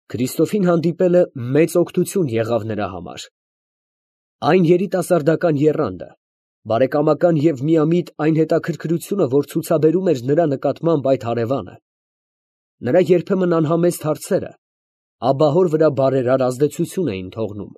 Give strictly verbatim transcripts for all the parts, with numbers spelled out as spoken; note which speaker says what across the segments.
Speaker 1: Քրիստոֆին հանդիպելը մեծ օգնություն եղավ նրա համար։ Այն երիտասարդական եռանդը, բարեկամական և միամիտ այն հետաքրքրությունը, որ ցուցաբերում էր նրա նկատմամբ այդ հարևանը, նրա երբեմն անհամեստ հարցերը աբահոր վրա բարերար ազդեցություն էին թողնում։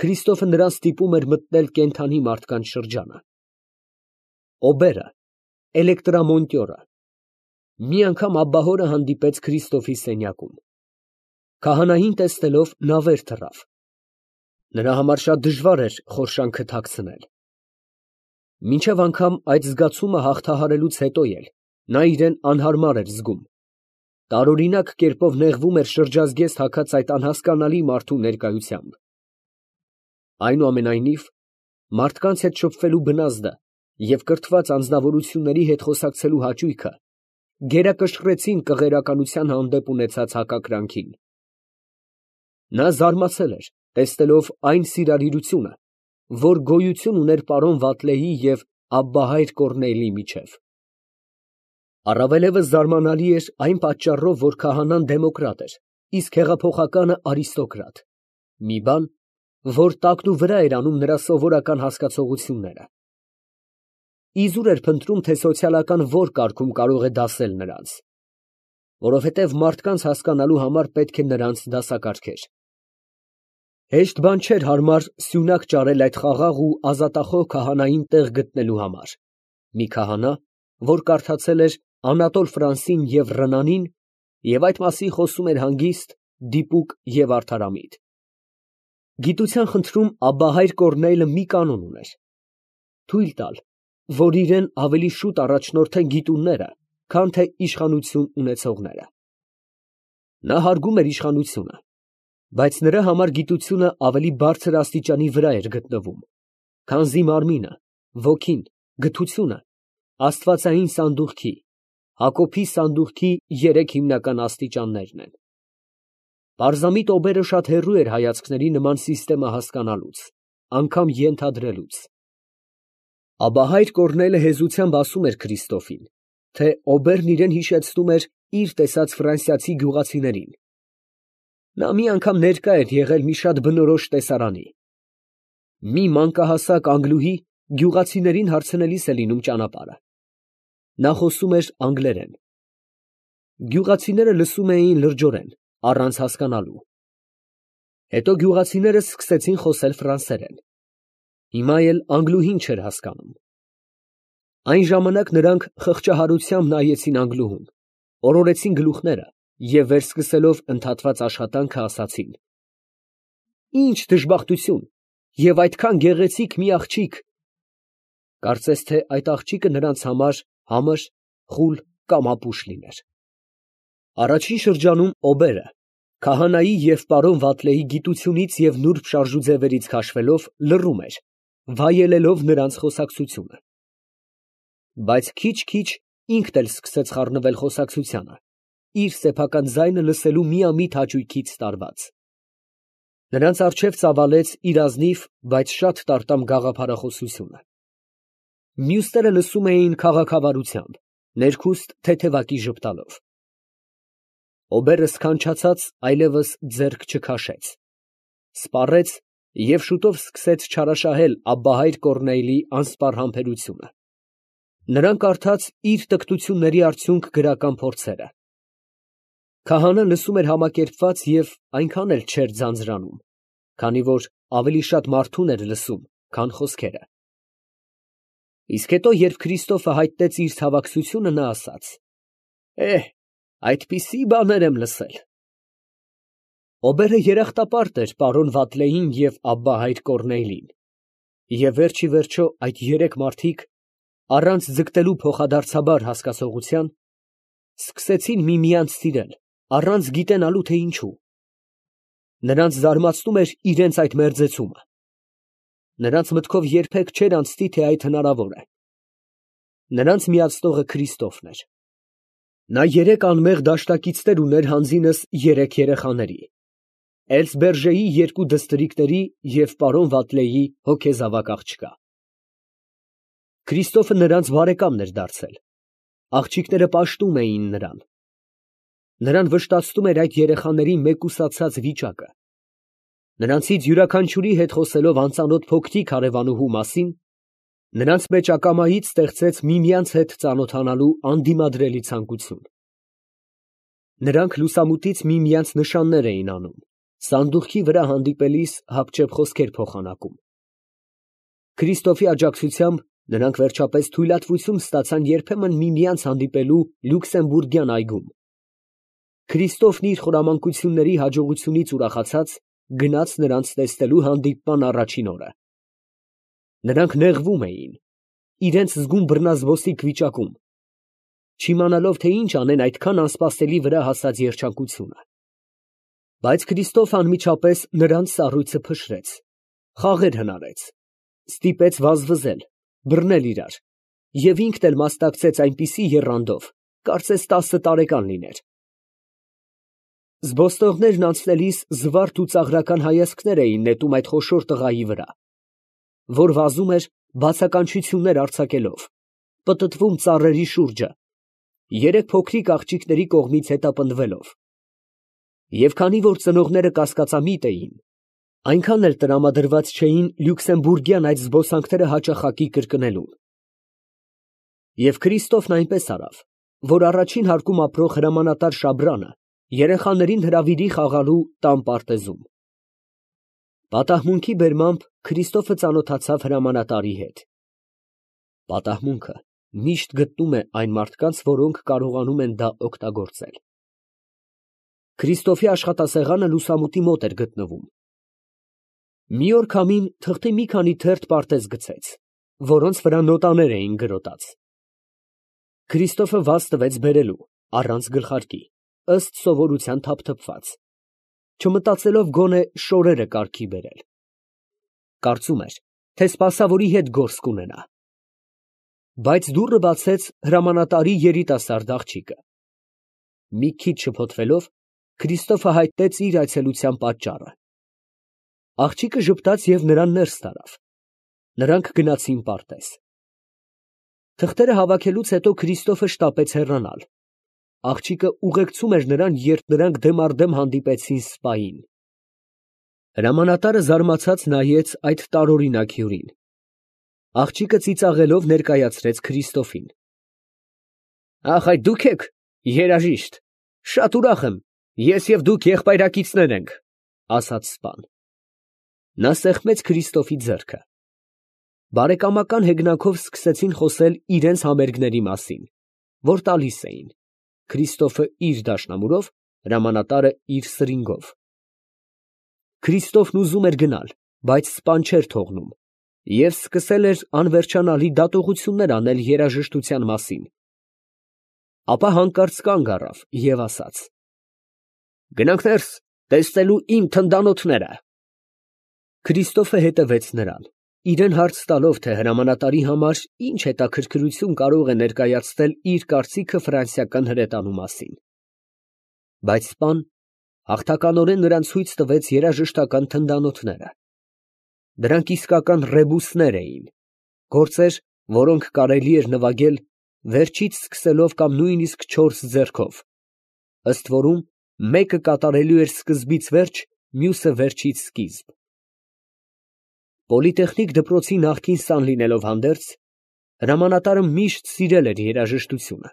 Speaker 1: Քրիստոֆը նրան ստիպում էր մտնել կենդանի մարդկանց շրջանը։ Օբերը, էլեկտրամոնտյորը, մի անգամ աբահորը հանդիպեց Քրիստոֆի սենյակում։ Քահանային տեսնելով նա վեր թռավ։ Նրա համար շատ դժվար էր խորշանքը թաքցնել։ Մինչև անգամ այդ զգացումը հաղթահարելուց հետո էլ նա իրեն անհարմար էր զգում, տարօրինակ կերպով նեղվում էր շրջազգեստ հագած այդ անհասկանալի մարդու ներկայությամբ։ Այնուամենայնիվ, մարդկանց հետ շփվելու բնազդը և կրթված անձնավորությունների հետ խոսակցելու հաճույքը գերակշռեցին կղերականության հանդեպ ունեցած հակակրանքին։ Նա զարմացել էր, տեսնելով այն սիրալիրությունը, որ գոյություն ուներ պարոն Վատլեի և աբբահայր Կոռնեյլի միջև։ Առավելևս զարմանալի էր այն պատճառով, որ քահանան դեմոկրատ էր, իսկ հեղափոխականը արիստոկրատ, մի բան, որ տակնուվրա էր անում նրա սովորական հասկացողությունները։ Իզուր էր փնտրում, թե սոցիալական որ կարգում կարող է դասել նրանց, որովհետև մարդկանց հասկանալու համար պետք է նրանց դասակարգեր։ Հեշտ բան չէր հարմար սյունակ ճարել այդ խաղաղ ու ազատախոհ քահանային տեղ գտնելու համար, մի քահանա, որ կարդացել էր Անատոլ Ֆրանսին և Ռնանին և այդ մասին խոսում էր հանգիստ, դիպուկ և արդարամիտ։ Գիտության խնդրում աբբահայր Կոռնեյլը մի կանոն ուներ. թույլ տալ, որ իրեն ավելի շուտ առաջնորդեն գիտունները, քան թե իշխանություն ունեցողները։ Նա հարգում էր իշխանությունը, բայց նրա համար գիտությունը ավելի բարձր աստիճանի վրա էր գտնվում, քանզի մարմինը, ոգին, գթությունը աստվածային սանդուղքի, Հակոբի սանդուղքի երեք հիմնական աստիճաններն են։ Պարզամիտ օբերը շատ հեռու էր հայացքների նման սիստեմը հասկանալուց, անգամ ենթադրելուց։ Աբահայր Կոռնեյլը հեզությամբ ասում էր Քրիստոֆին, թե օբերն իրեն հիշեցնում էր իր տեսած ֆրանսիացի գյուղացիներին։ Նա մի անգամ ներկա էր եղել մի շատ բնորոշ տեսարանի։ Մի մանկահասակ անգլուհի գյուղացիներին հարցնելիս է լինում ճանապարհը։ Նա խոսում էր անգլերեն։ Գյուղացիները լսում էին լրջորեն, առանց հասկանալու։ Հետո գյուղացիները սկսեցին խոսել ֆրանսերեն։ Հիմա էլ անգլուհին չէր հասկանում։ Այն ժամանակ նրանք խղճահարությամբ նայեցին անգլուհուն, օրորեցին գլուխները և վերսկսելով ընդհատված աշխատանքը ասացին. «Ինչ դժբախտություն և այդքան գեղեցիկ մի աղջիկ»։ Կարծես թե այդ աղջիկը նրանց համար համր, խուլ կամ ապուշ լիներ։ Առաջին շրջանում օբերը, քահանայի և պարոն Վատլեի գիտությունից և նուրբ շարժուձևերից քաշվելով, լռում էր, վայելելով նրանց խոսակցությունը։ Բայց քիչ֊քիչ ինքն էլ սկսեց խառնվել խոսակցությանը, իր սեփական ձայնը լսելու միամիտ հաճույքից տարված։ Նրանց առջև ծավալեց իր ազնիվ, բայց շատ տարտամ գաղափարախոսությունը։ Մյուսները լսում էին քաղաքավարությամբ, ներքուստ թեթևակի ժպտալով։ Օբերը սքանչացած այլևս ձեռք չքաշեց, սպառեց և շուտով սկսեց չարաշահել աբբահայր Կոռնեյլի անսպառ համբերությունը։ Նրան կարդաց իր տկտությունների արդյունք գրական փորձերը։ Քահանան լսում էր համակերպված և այնքան էլ չէր ձանձրանում, քանի որ ավելի շատ մարդուն էր լսում, քան խոսքերը։ Իսկ հետո, երբ Քրիստոֆը հայտնեց իր ցավակցությունը, նա ասաց. «Էհ, այդպիսի բաներ եմ լսել»։ Օբերը երախտապարտ էր պարոն Վատլեին և աբբահայր Կոռնեյլին, և վերջիվերջո այդ երեք մարդիկ, առանց ձգտելու փոխադարձաբար հասկացողության, սկսեցին միմյանց սիրել, առանց գիտենալու, թե ինչու։ Նրանց զարմացնում էր իրենց այդ մերձեցումը։ Նրանց մտքով երբեք չէր անցնի, թե այդ հնարավոր է։ Նրանց միացնողը Քրիստոֆն էր։ Նա երեք անմեղ դաշնակիցներ ուներ հանձինս երեք երեխաների՝ Էլսբերժեի երկու դստրիկների և պարոն Վատլեի հոգեզավակ աղջկա։ Քրիստոֆը նրանց բարեկամն էր դարձել, աղջիկները պաշտում էին նրան։ Նրան վշտացնում էր այդ երեխաների մեկուսացած վիճակը։ Նրանցից յուրաքանչյուրի հետ խոսելով անծանոթ փոքրիկ հարևանուհու մասին, նրանց մեջ ակամայից ստեղծեց միմյանց հետ ծանոթանալու անդիմադրելի ցանկություն։ Նրանք լուսամուտից միմյանց նշաններ էին անում, սանդուղքի վրա հանդիպելիս հապճեպ խոսքեր փոխանակում։ Քրիստոֆի աջակցությամբ նրանք վերջապես թույլատվություն ստացան երբեմն միմյանց հանդիպելու Լյուքսեմբուրգյան այգում։ Քրիստոֆն իր խորամանկությունների հաջողությունից ուրախացած գնաց նրանց տեսնելու հանդիպման առաջին օրը։ Նրանք նեղվում էին, իրենց զգում բռնազբոսիկ վիճակում, չիմանալով, թե ինչ անեն այդքան անսպասելի վրա հասած երջանկությունը։ Բայց Քրիստոֆը անմիջապես նրանց սառույցը փշրեց, խաղեր հնարեց, ստիպեց վազվզել, բռնել իրար և ինքն էլ մասնակցեց այնպիսի եռանդով, կարծես տասը տարեկան լիներ։ Զբոսնողներն անցնելիս զվարթ ու ծաղրական հայացքներ էին նետում այդ խոշոր տղայի վրա, որ վազում էր բացականչություններ արձակելով, պտտվում ծառերի շուրջը, երեք փոքրիկ աղջիկների կողմից հետապնդվելով։ Եվ քանի որ ծնողները կասկածամիտ էին, այնքան էլ տրամադրված չէին լյուքսեմբուրգյան այդ զբոսանքները հաճախակի կրկնելուն։ Եվ Քրիստոֆն այնպես արավ, որ առաջին հարկում ապրող հրամանատար Շաբրանը երեխաներին հրավիրի խաղալու տան պարտեզում։ Պատահմունքի բերմամբ Քրիստոֆը ծանոթացավ հրամանատարի հետ։ Պատահմունքը միշտ գտնում է այն մարդկանց, որոնք կարողանում են դա օգտագործել։ Քրիստոֆի աշխատասեղանը լուսամուտի մոտ էր գտնվում։ Մի օր քամին թղթի մի քանի թերթ պարտեզ գցեց, որոնց վրա նոտաներ էին գրոտած։ Քրիստոֆը վազ տվեց բերելու, առանց գլխարկի, ըստ սովորության թափթփված, չմտածելով գոնե շորերը կարգի բերել։ Կարծում էր, թե սպասավորի հետ գործ կունենա։ Բայց դուռը բացեց հրամանատարի երիտասարդ աղջիկը։ Մի քիչ շփոթվելով, Քրիստոֆը հայտնեց իր այցելության պատճառը։ Աղջիկը ժպտաց և նրան ներս տարավ։ Նրանք գնացին պարտեզ։ Թղթերը հավաքելուց հետո Քրիստոֆը շտապեց հեռանալ։ Աղջիկը ուղեկցում էր նրան, երբ նրանք դեմ առ դեմ հանդիպեցին սպային։ Հրամանատարը զարմացած նայեց այդ տարօրինակ հյուրին։ Աղջիկը ծիծաղելով ներկայացրեց Քրիստոֆին։ Ախ, այդ դուք եք, երաժիշտ, շատ ուրախ եմ, ես և դուք եղբայրակիցներ ենք, ասաց սպան։ Նա սեղմեց Քրիստոֆի ձեռքը։ Բարեկամական հեգնանքով սկսեցին խոսել իրենց համերգների մասին, որ տալիս էին, Քրիստոֆը իր դաշնամուրով, հրամանատարը իր սրինգով։ Քրիստոֆն ուզում էր գնալ, բայց սպան չէր թողնում և սկսել էր անվերջանալի դատողություններ անել երաժշտության մասին։ Ապա հանկարծ կանգ առավ և ասաց. «Գնանք ներս, տեսնելու իմ թնդանոթները»։ Քրիստոֆը հետևեց նրան, իրան հարց տալով, թե հրամանատարի համար ինչ հետաքրքրություն կարող է ներկայացնել իր կարծիքը ֆրանսիական հրետանու մասին։ Բայց սպան հաղթականորեն նրան ցույց տվեց երաժշտական թնդանոթները։ Դրանք իսկական ռեբուսներ էին, գործեր, որոնք կարելի էր նվագել վերջից սկսելով կամ նույնիսկ չորս ձեռքով, ըստ որում մեկը կատարելու էր սկզբից վերջ, մյուսը վերջից սկիզբ։ Պոլիտեխնիկ դպրոցի նախկին սան լինելով հանդերձ, հրամանատարը միշտ սիրել էր երաժշտությունը։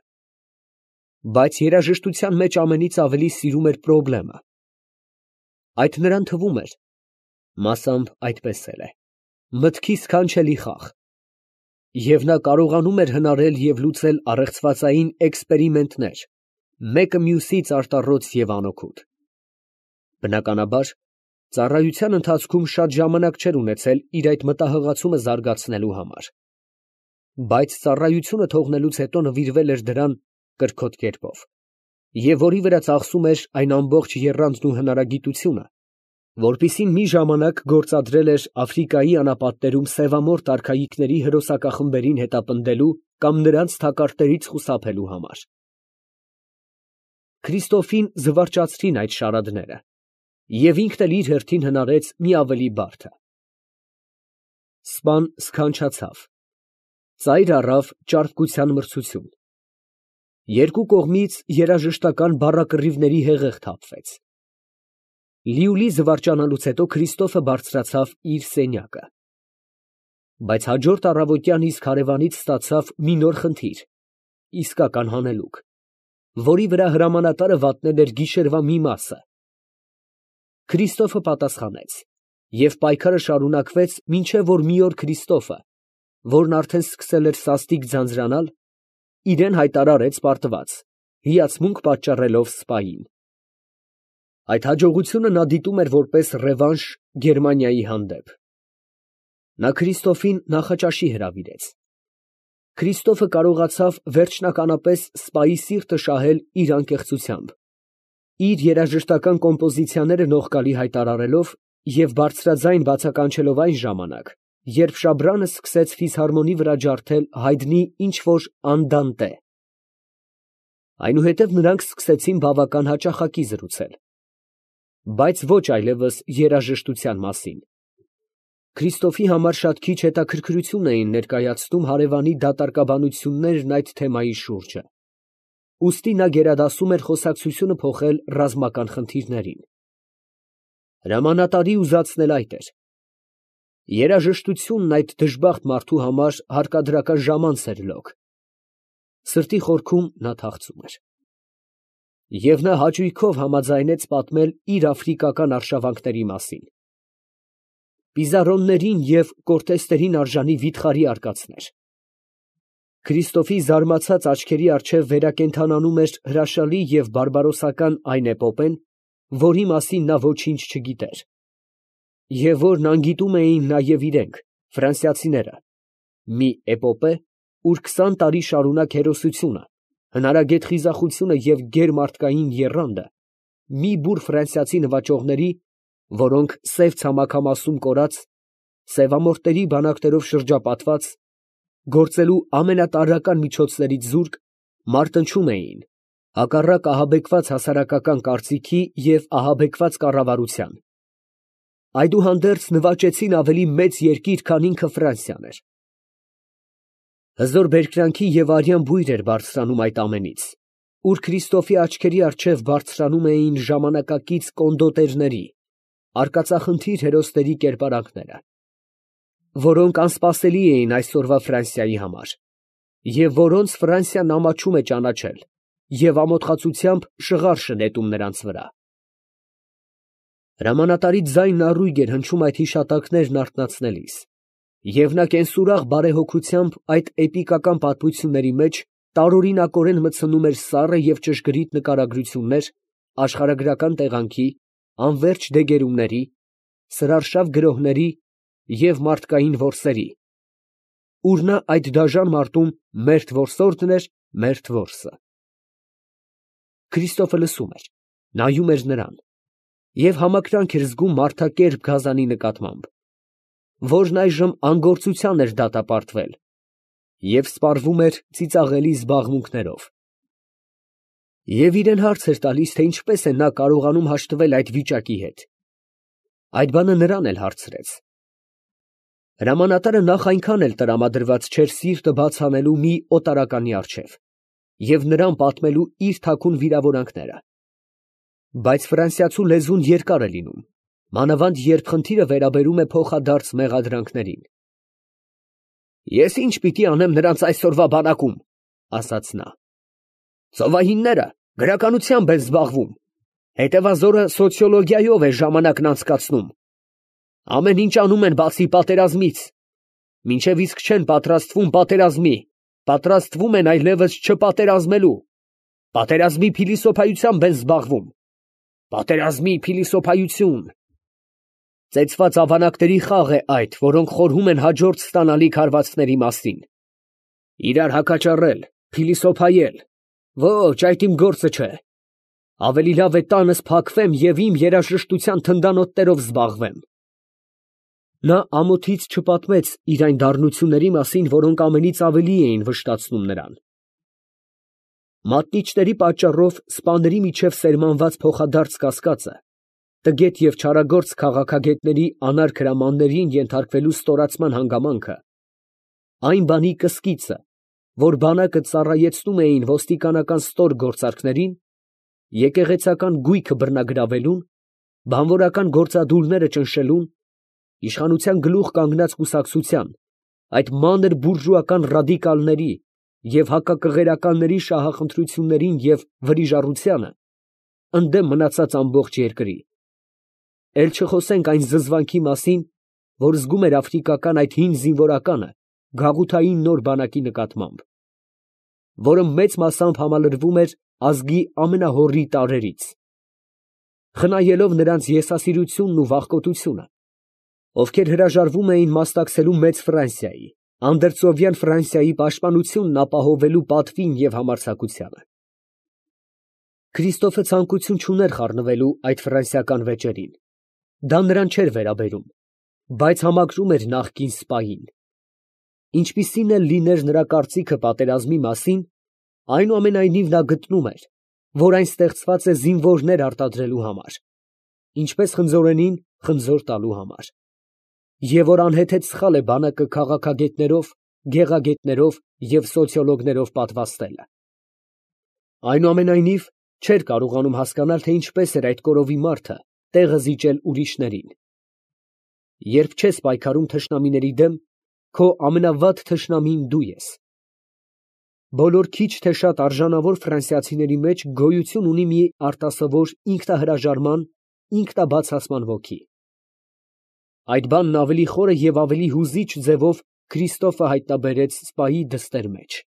Speaker 1: Բայց երաժշտության մեջ ամենից ավելի սիրում էր պրոբլեմը։ Այդ նրան թվում էր, մասամբ այդպես էլ է, մտքի սքանչելի խաղ, և նա կարողանում էր հնարել և լուծել առեղծվածային էքսպերիմենտներ, մեկը մյուսից արտառոց և անօգուտ։ Բնականաբար, ծառայության ընթացքում շատ ժամանակ չէր ունեցել իր այդ մտահղացումը զարգացնելու համար, բայց ծառայությունը թողնելուց հետո նվիրվել էր դրան կրքոտ կերպով, և որի վրա ծախսում էր այն ամբողջ եռանդն ու հնարագիտությունը, որպիսին մի ժամանակ գործադրել էր Աֆրիկայի անապատներում սևամորթ արքայիքների հրոսակախմբերին հետապնդելու կամ նրանց թակարդներից խուսափելու համար։ Քրիստոֆին զվարճացրին այդ շարադները, և ինքն էլ իր հերթին հնարեց մի ավելի բարդը։ Սպան սքանչացավ, ծայր առավ ճարպկության մրցություն Երկու կողմից երաժշտական բառակռիվների հեղեղ թափվեց։ Լիուլի զվարճանալուց հետո Քրիստոֆը բարձրացավ իր սենյակը։ Բայց հաջորդ առավոտյան իսկ հարևանից ստացավ մի նոր խնդիր, իսկական հանելուկ, որի վրա հրամանատարը վատնել էր գիշերվա մի մասը։ Քրիստոֆը պատասխանեց, և պայքարը շարունակվեց, մինչև որ մի օր Քրիստոֆը, որն արդեն սկսել էր սաստիկ ձանձրանալ, իրեն հայտարարեց պարտված, հիացմունք պատճառելով սպային։ Այդ հաջողությունը նա դիտում էր որպես ռևանշ Գերմանիայի հանդեպ։ Նա Քրիստոֆին նախաճաշի հրավիրեց։ Քրիստոֆը կարողացավ վերջնականապես սպայի սիրտը շահել իր անկեղծությամբ, իր երաժշտական կոմպոզիցիաները նողկալի հայտարարելով և բարձրաձայն բացականչելով այն ժամանակ, երբ Շաբրանը սկսեց ֆիսհարմոնի վրա ջարդել հայտնի ինչ֊որ անդանտե։ Այնուհետև նրանք սկսեցին բավական հաճախակի զրուցել, բայց ոչ այլևս երաժշտության մասին։ Քրիստոֆի համար շատ քիչ հետաքրքրություն էին ներկայացնում հարևանի դատարկաբանություններն այդ թեմայի շուրջը, ուստի նա գերադասում էր խոսակցությունը փոխել ռազմական խնդիրներին։ Հրամանատարի ուզածն էլ այդ էր։ Երաժշտությունն այդ դժբախտ մարդու համար հարկադրական ժամանց էր լոկ։ Սրտի խորքում նա թախծում էր։ Եվ նա հաճույքով համաձայնեց պատմել իր աֆրիկական արշավանքների մասին։ Պիզարոններին և կորտեստերին արժանի վիթխարի արկածներ։ Քրիստոֆի զարմացած աչքերի առջև վերակենդանանում էր հրաշալի և բարբարոսական այն էպոպեն, որի մասին նա ոչինչ չգիտեր, և որն անգիտում էին նաև իրենք, ֆրանսիացիները, մի էպոպե, ուր քսան տարի շարունակ հերոսությունը, հնարագետ խիզախությունը և գերմարդկային եռանդը մի բուռ ֆրանսիացի նվաճողների, որոնք սև ցամաքամասում կորած, սևամորթերի բանակներով շրջապատված, գործելու ամենատարրական միջոցներից զուրկ, մարտնչում էին, հակառակ ահաբեկված հասարակական կարծիքի և ահաբեկված կառավարության, այդուհանդերձ նվաճեցին ավելի մեծ երկիր, քան ինքը Ֆրանսիան էր։ Հզոր բերկրանքի և արյան բույր էր բարձրանում այդ ամենից, ուր Քրիստոֆի աչքերի առջև բարձրանում էին ժամանակակից կոնդոտերների, արկածախնդիր հերոսների կերպարանքները, որոնք անսպասելի էին այսօրվա Ֆրանսիայի համար, և որոնց Ֆրանսիան ամաչում է ճանաչել և ամոթխածությամբ շղարշ է նետում նրանց վրա։ Հրամանատարի ձայնն առույգ էր հնչում այդ հիշատակներն արթնացնելիս, և նա կենսուրախ բարեհոգությամբ այդ էպիկական պատմությունների մեջ տարօրինակորեն մտցնում էր սառը և ճշգրիտ նկարագրություններ աշխարհագրական տեղանքի, անվերջ դեգերումների, սրարշավ գրոհների և մարդկային որսերի, ուր նա այդ դաժան մարտում մերթ որսորդն էր, մերթ որսը։ Քրիստոֆը լսում էր, նայում էր նրան և համակրանք էր զգում մարդակերպ գազանի նկատմամբ, որն այժմ անգործության էր դատապարտվել և սպառվում էր ծիծաղելի զբաղմունքներով։ Եվ իրան հարց էր տալիս, թե ինչպես է նա կարողանում հաշտվել այդ վիճակի հետ։ Այդ բանը նրան էլ հարցրեց։ Հրամանատարը նախ այնքան էլ տրամադրված չէր սիրտը բաց անելու մի օտարականի առջև և նրան պատմելու իր թաքուն վիրավորանքները, բայց ֆրանսիացու լեզուն երկար է լինում, մանավանդ երբ խնդիրը վերաբերում է փոխադարձ մեղադրանքներին։ «Ես ի՞նչ պիտի անեմ նրանց այսօրվա բանակում», ֊ ասաց նա։ «Ծովահինները գրականությամբ են զբաղվում, հետևազորը սոցիոլոգիայով է ժամանակն անցկացնում, ամեն ինչ անում են բացի պատերազմից, մինչև իսկ չեն պատրաստվում պատերազմի, պատրաստվում են այլևս չպատերազմելու, պատերազմի փիլիսոփայությամբ են զբաղվում, պատերազմի փիլիսոփայություն… Ծեծված ավանակների խաղ է այդ, որոնք խորհում են հաջորդ ստանալիք հարվածների մասին… Իրար հակաճառել, փիլիսոփայել… Ոչ, այդ իմ գործը չէ… Ավելի լավ է տանս փակվեմ և իմ երաժշտության թնդանոթներով զբաղվեմ»։ Նա ամոթից չպատմեց իր այն դառնությունների մասին, որոնք ամենից ավելի էին վշտացնում նրան։ Մատնիչների պատճառով սպաների միջև սերմանված փոխադարձ կասկածը, տգետ և չարագործ քաղաքագետների անարգ հրամաններին ենթարկվելու ստորացման հանգամանքը, այն բանի կսկիծը, որ բանակը ծառայեցնում էին ոստիկանական ստոր գործարքներին, եկեղեցական գույքը բռնագրավելուն, բանվորական գործադուլները ճնշելուն, իշխանության գլուխ կանգնած կուսակցության, այդ մանր բուրժուական ռադիկալների և հակակղերականների շահախնդրություններին և վրիժառությանը, ընդդեմ մնացած ամբողջ երկրի, էլ չխոսենք այն զզվանքի մասին, որ զգում էր աֆրիկական այդ հին զինվորականը գաղութային նոր բանակի նկատմամբ, որը մեծ մասամբ համալրվում էր ազգի ամենահոռի տարրերից, խնայելով նրանց եսասիրությունն ու վախկոտությունը, ովքեր հրաժարվում էին մասնակցելու մեծ Ֆրանսիայի, անդրծովյան Ֆրանսիայի պաշտպանությունն ապահովելու պատվին և համարձակությանը։ Քրիստոֆը ցանկություն չուներ խառնվելու այդ ֆրանսիական վեճերին, դա նրան չէր վերաբերում, բայց համակրում էր նախկին սպային։ Ինչպիսին էլ լիներ նրա կարծիքը պատերազմի մասին, այնուամենայնիվ նա գտնում էր, որ այն ստեղծված է զինվորներ արտադրելու համար, ինչպես խնձորենին խնձոր տալու համար, և որ անհեթեթ սխալ է բանակը քաղաքագետներով, գեղագետներով և սոցիոլոգներով պատվաստելը։ Այնուամենայնիվ չէր կարողանում հասկանալ, թե ինչպես էր այդ կորովի մարդը տեղը զիջել ուրիշներին։ Երբ չես պայքարում թշնամիների դեմ, քո ամենավատ թշնամին դու ես։ Բոլոր քիչ թե շատ արժանավոր ֆրանսիացիների մեջ գոյություն ունի մի արտասովոր ինքնահրաժարման, ինքնաբացասման ոգի։ Այդ բանն ավելի խորը և ավելի հուզիչ ձևով Քրիստոֆը հայտնաբերեց սպայի դստեր մեջ։